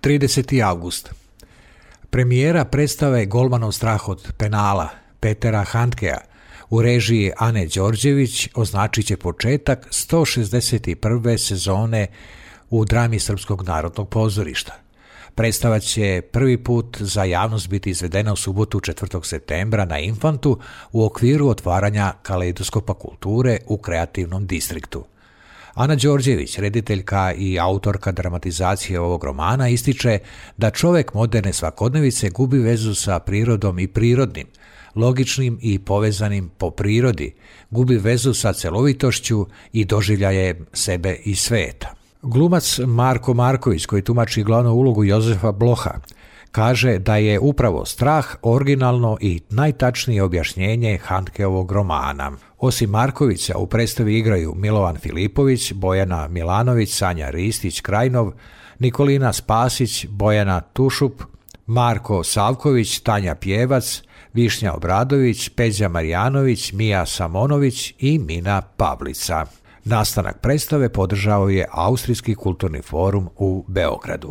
30. avgust. Premijera predstave Golmanov strah od penala Petera Handkea u režiji Ane Đorđević označit će početak 161. sezone u drami Srpskog narodnog pozorišta. Predstava će prvi put za javnost biti izvedena u subotu 4. septembra na Infantu u okviru otvaranja Kaleidoskopa kulture u kreativnom distriktu. Ana Đorđević, rediteljka i autorka dramatizacije ovog romana, ističe da čovek moderne svakodnevice gubi vezu sa prirodom i prirodnim, logičnim i povezanim po prirodi, gubi vezu sa celovitošću i doživljaje sebe i sveta. Glumac Marko Marković, koji tumači glavnu ulogu Jozefa Bloha, kaže da je upravo strah originalno i najtačnije objašnjenje Handkeovog romana. Osim Markovića, u predstavi igraju Milovan Filipović, Bojana Milanović, Sanja Ristić-Krajnov, Nikolina Spasić, Bojana Tušup, Marko Savković, Tanja Pjevac, Višnja Obradović, Peđa Marjanović, Mija Samonović i Mina Pavlica. Nastanak predstave podržao je Austrijski kulturni forum u Beogradu.